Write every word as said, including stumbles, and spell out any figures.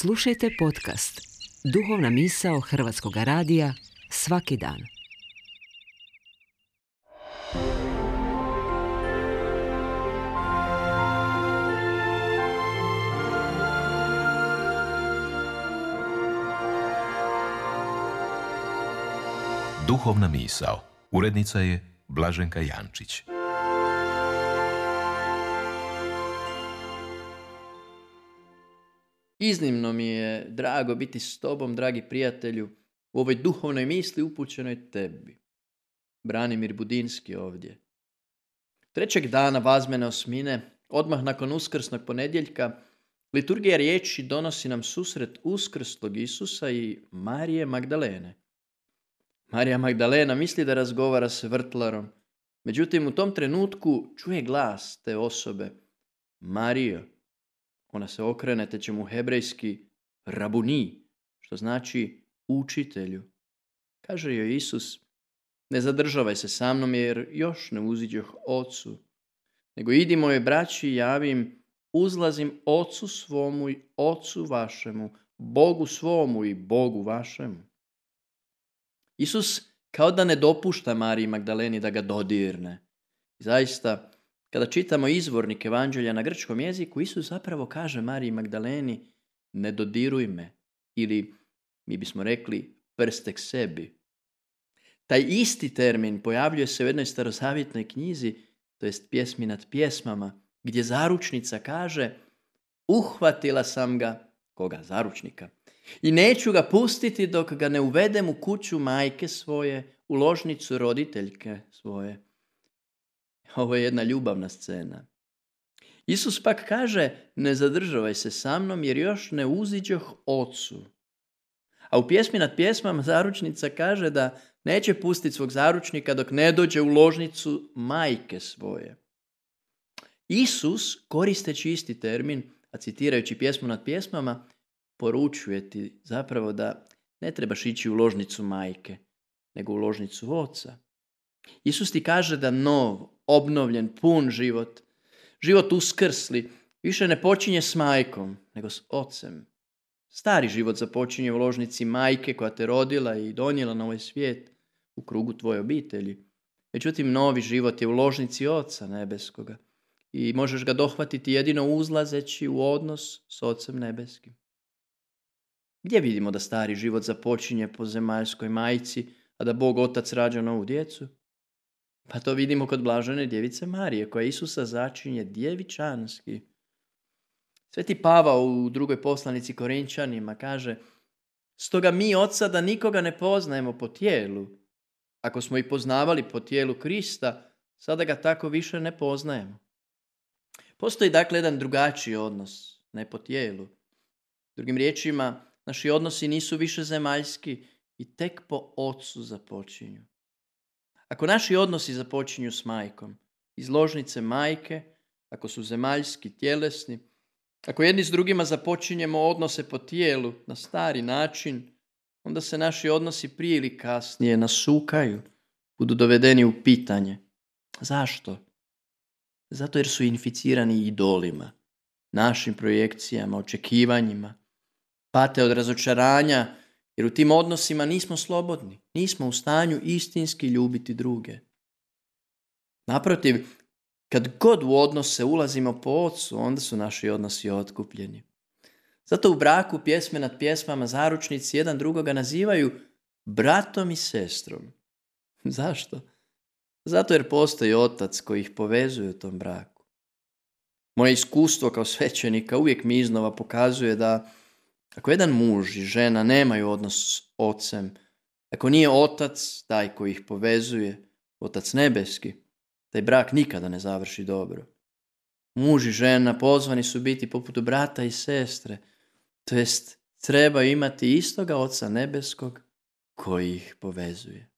Slušajte podcast Duhovna misao Hrvatskog radija svaki dan. Duhovna misao. Urednica je Blaženka Jančić. Iznimno mi je drago biti s tobom, dragi prijatelju, u ovoj duhovnoj misli upućenoj tebi. Branimir Budinski ovdje. Trećeg dana Vazmene osmine, odmah nakon uskrsnog ponedjeljka, liturgija riječi donosi nam susret uskrslog Isusa i Marije Magdalene. Marija Magdalena misli da razgovara s vrtlarom, međutim u tom trenutku čuje glas te osobe. Marijo. Ona se okrene te će mu hebrejski rabuni, što znači učitelju. Kaže joj Isus, ne zadržavaj se sa mnom jer još ne uziđoh Ocu, nego idi mojoj braći i javim, uzlazim Ocu svomu i Ocu vašemu, Bogu svomu i Bogu vašemu. Isus kao da ne dopušta Mariji Magdaleni da ga dodirne. Zaista, kada čitamo izvornik evanđelja na grčkom jeziku, Isus zapravo kaže Mariji Magdaleni, ne dodiruj me, ili mi bismo rekli prste k sebi. Taj isti termin pojavljuje se u jednoj starozavjetnoj knjizi, to jest Pjesmi nad pjesmama, gdje zaručnica kaže, uhvatila sam ga, koga? Zaručnika, i neću ga pustiti dok ga ne uvedem u kuću majke svoje, u ložnicu roditeljke svoje. Ovo je jedna ljubavna scena. Isus pak kaže, ne zadržavaj se sa mnom jer još ne uziđoh Ocu. A u Pjesmi nad pjesmama zaručnica kaže da neće pustiti svog zaručnika dok ne dođe u ložnicu majke svoje. Isus, koristeći isti termin, a citirajući Pjesmu nad pjesmama, poručuje ti zapravo da ne trebaš ići u ložnicu majke, nego u ložnicu Oca. Isus ti kaže da nov, obnovljen, pun život, život uskrsli, više ne počinje s majkom, nego s Ocem. Stari život započinje u ložnici majke koja te rodila i donijela na ovaj svijet u krugu tvoje obitelji. Međutim, novi život je u ložnici Oca nebeskoga i možeš ga dohvatiti jedino uzlazeći u odnos s Ocem nebeskim. Gdje vidimo da stari život započinje po zemaljskoj majci, a da Bog Otac rađa novu djecu? Pa to vidimo kod blažene djevice Marije, koja Isusa začinje djevičanski. Sveti Pavao u drugoj poslanici Korinčanima kaže, stoga mi od sada nikoga ne poznajemo po tijelu. Ako smo i poznavali po tijelu Krista, sada ga tako više ne poznajemo. Postoji dakle jedan drugačiji odnos, ne po tijelu. Drugim riječima, naši odnosi nisu više zemaljski i tek po Ocu započinju. Ako naši odnosi započinju s majkom, iz ložnice majke, ako su zemaljski, tjelesni, ako jedni s drugima započinjemo odnose po tijelu na stari način, onda se naši odnosi prije ili kasnije nasukaju, budu dovedeni u pitanje. Zašto? Zato jer su inficirani idolima, našim projekcijama, očekivanjima, pate od razočaranja, jer u tim odnosima nismo slobodni, nismo u stanju istinski ljubiti druge. Naprotiv, kad god u odnose ulazimo po Ocu, onda su naši odnosi otkupljeni. Zato u braku Pjesme nad pjesmama zaručnici jedan drugoga nazivaju bratom i sestrom. Zašto? Zato jer postoji Otac koji ih povezuje u tom braku. Moje iskustvo kao svećenika uvijek mi iznova pokazuje da ako jedan muž i žena nemaju odnos s Ocem, ako nije Otac taj koji ih povezuje, Otac nebeski, taj brak nikada ne završi dobro. Muž i žena pozvani su biti poput brata i sestre, to jest treba imati istoga Oca nebeskog koji ih povezuje.